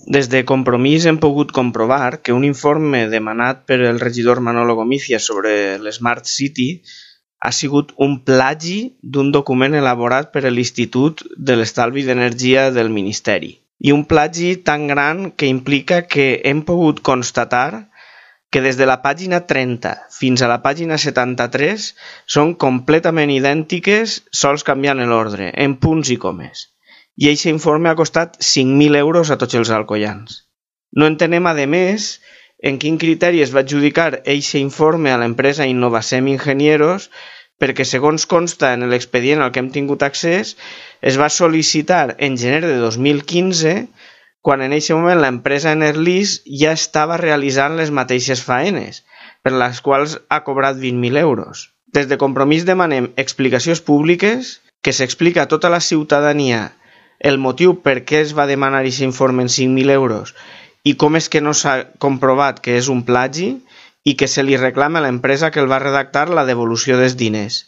Des de Compromís hem pogut comprovar que un informe demanat per el regidor Manolo Gomizia sobre l'Smart City ha sigut un plagi d'un document elaborat per l'Institut de l'Estalvi d'Energia del Ministeri. I un plagi tan gran que implica que hem pogut constatar que des de la pàgina 30 fins a la pàgina 73 són completament idèntiques, sols canviant l'ordre, en punts i comes. I aquest informe ha costat 5.000 euros a tots els alcoians. No entenem, a més, en quin criteri es va adjudicar aquest informe a l'empresa Innovacem Ingenieros, perquè, segons consta en l'expedient al que hem tingut accés, es va sol·licitar en gener de 2015, quan en aquest moment l'empresa Enerlis ja estava realitzant les mateixes faenes, per les quals ha cobrat 20.000 euros. Des de Compromís demanem explicacions públiques, que s'explica a tota la ciutadania el motiu per què es va demanar aquest informe en 5.000 euros i com és que no s'ha comprovat que és un plagi i que se li reclama a l'empresa que el va redactar la devolució dels diners.